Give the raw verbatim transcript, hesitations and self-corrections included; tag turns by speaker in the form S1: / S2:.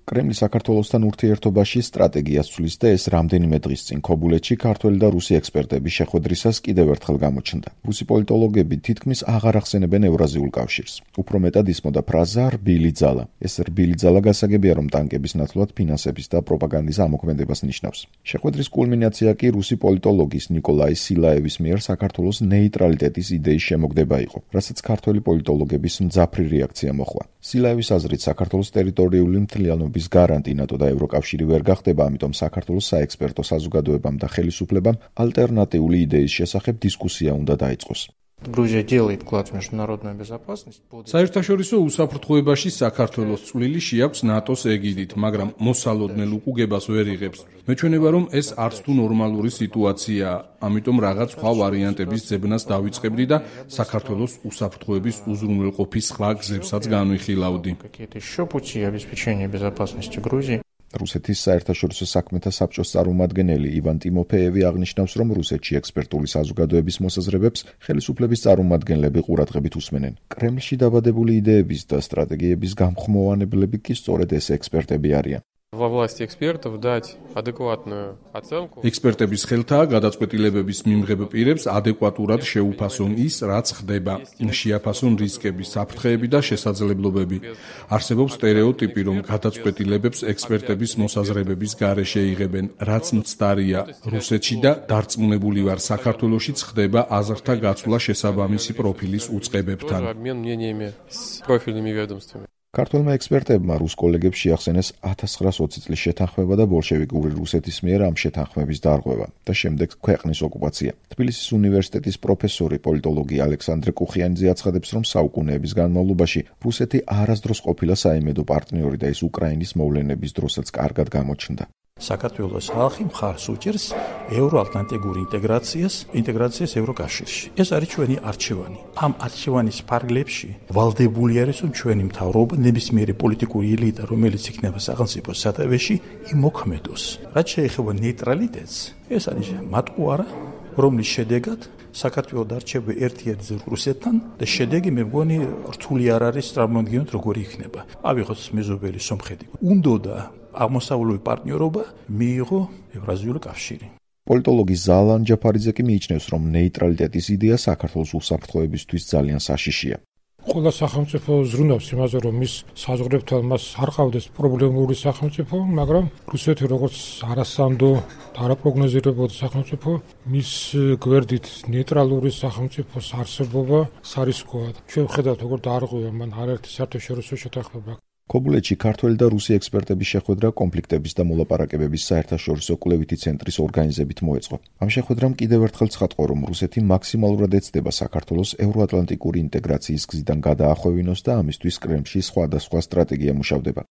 S1: კრემლი საქართველოსთან ურთიერთობაში სტრატეგიას ცვლის და ეს რამდენიმე დღის წინ ქობულეთში ქართველი და რუსი ექსპერტების შეხვედრისას კიდევ ერთხელ გამოჩნდა. რუსი პოლიტოლოგები თითქმის აღარ ახსენებენ ევრაზიულ კავშირს. უფრო მეტად ისმოდა ფრაზა რბილი ძალა. ეს რბილი ძალა გასაგებია, რომ ტანკების ნაცვლად ფინანსების და პროპაგანდის ამოქმედებას ნიშნავს. შეხვედრის კულმინაცია კი რუსი პოლიტოლოგის ნიკოლაი სილაევის მიერ საქართველოს ნეიტრალიტეტის იდეის შემოგდება იყო, რასაც ქართველი პოლიტოლოგების მძაფრი რეაქცია მოჰყვა. სილაევის აზრით საქართველოს ტერიტორიული მთლიანობის გარანტი ნატო და ევროკავშირი ვერ გახდება, ამიტომ საქართველოს საექსპერტო საზოგადოებამ და ხელისუფლებამ ალტერნატიული იდეის შესახებ დისკუსია უნდა დაიწყოს.
S2: Грузия делает вклад в международную безопасность.
S3: საერთაშორისო უსაფრთხოებაში საქართველოს წვლილი შეაქვს ნატოს ეგიდით, მაგრამ მოსალოდნელ უკუგებას ვერ იღებს. მეჩვენება, რომ ეს არც თუ ნორმალური სიტუაციაა, ამიტომ რაღაც სხვა ვარიანტების ძებნას დავიწყებდი და საქართველოს უსაფრთხოების უზრუნველყოფის სხვა გზებსაც განვიხილავდი.
S2: Какие-то еще пути обеспечения безопасности Грузии.
S1: რუსეთის საერთაშორისო საქმეთა საბჭოს წარმომადგენელი ივან ტიმოფეევი აღნიშნავს, რომ რუსეთში ექსპერტული საზოგადოების მოსაზრებებს ხელისუფლების წარმომადგენლები ყურადღებით უსმენენ. კრემლში დაბადებული იდეების და სტრატეგიების გამხმოვანებლები კი სწორედ ეს ექსპერტები არიან.
S4: Во власти экспертов дать адекватную оценку.
S3: ექსპერტების ხელთაა გადაწყვეტილებების მიმღებ პირებს ადეკვატურად შეუფასონ ის, რაც ხდება, შეაფასონ რისკები, საფრთხეები და შესაძლებლობები. არსებობს სტერეოტიპი, რომ გადაწყვეტილებებს ექსპერტების მოსაზრებების გარეშე იღებენ, რაც მცდარია. რუსეთში და დარწმუნებული ვარ, საქართველოშიც ხდება აზრთა გაცვლა შესაბამისი პროფილის უწყებებთან.
S4: Обмен мнениями с профильными ведомствами.
S1: ქართველმა ექსპერტებმა რუს კოლეგებს შეახსენეს ათას ცხრაასოცი წლის შეთანხმება და ბოლშევიკური რუსეთის მიერ ამ შეთანხმების დარღვევა და შემდეგ ქვეყნის ოკუპაცია. თბილისის უნივერსიტეტის პროფესორი პოლიტოლოგი ალექსანდრე კუხიანიძე აცხადებს, რომ საუკუნეების განმავლობაში რუსეთი არასდროს ყოფილა საიმედო პარტნიორი და ის უკრაინის მოვლენების დროსაც კარგად გამოჩნდა.
S5: საქართველოს ხალხი მხარს უჭერს ევროატლანტიკურ ინტეგრაციას, ინტეგრაციას ევროკავშირში. ეს არის ჩვენი არჩევანი. ამ არჩევანის ფარგლებში ვალდებული არის, რომ ჩვენი მთავრობა, ნებისმიერი პოლიტიკური ელიტა, რომელიც იქნება სახელმწიფოს სათავეში, იმოქმედოს. რაც შეეხება ნეიტრალიტეტს, ეს არის მატყუარა, რომლის შედეგად საქართველოს დარჩება ერთ-ერთი რუსეთთან და შედეგი მე მგონი რთული არ არის წარმოვიდგინოთ როგორი იქნება. ავიღოთ მეზობელი სომხეთი. უნდოდა აღმოსავლური პარტნიორობა მიიღო ევრაზიული კავშირი.
S1: პოლიტოლოგი ზალან ჯაფარიძე კი მიიჩნევს, რომ ნეიტრალიტეტის იდეა საქართველოს უსაფრთხოებისთვის ძალიან საშიშია.
S6: ყველა სახელმწიფო ზრუნავს იმაზე, რომ მის საზღვრებთან მას არ ყავდეს პრობლემური სახელმწიფო, მაგრამ რუსეთი როგორც არასამდო და არაპროგნოზირებადი სახელმწიფო, მის გვერდით ნეიტრალური სახელმწიფოს არსებობა სარისკოა. ჩვენ ვხედავთ, როგორ დაარღვევა მან არაერთი საერთაშორისო შეთანხმება. ქობულეთში ქართველი და რუსი ექსპერტების შეხვედრა კონფლიქტების და მოლაპარაკებების საერთაშორისო კვლევითი ცენტრის ორგანიზებით მოეწყო. ამ შეხვედრამ კიდევ ერთხელ ცხადყო, რომ რუსეთი მაქსიმალურად ეცდება საქართველოს ევროატლანტიკური ინტეგრაციის გზიდან გადაახვევინოს და ამისთვის კრემლში სხვადასხვა სტრატეგია მუშავდება.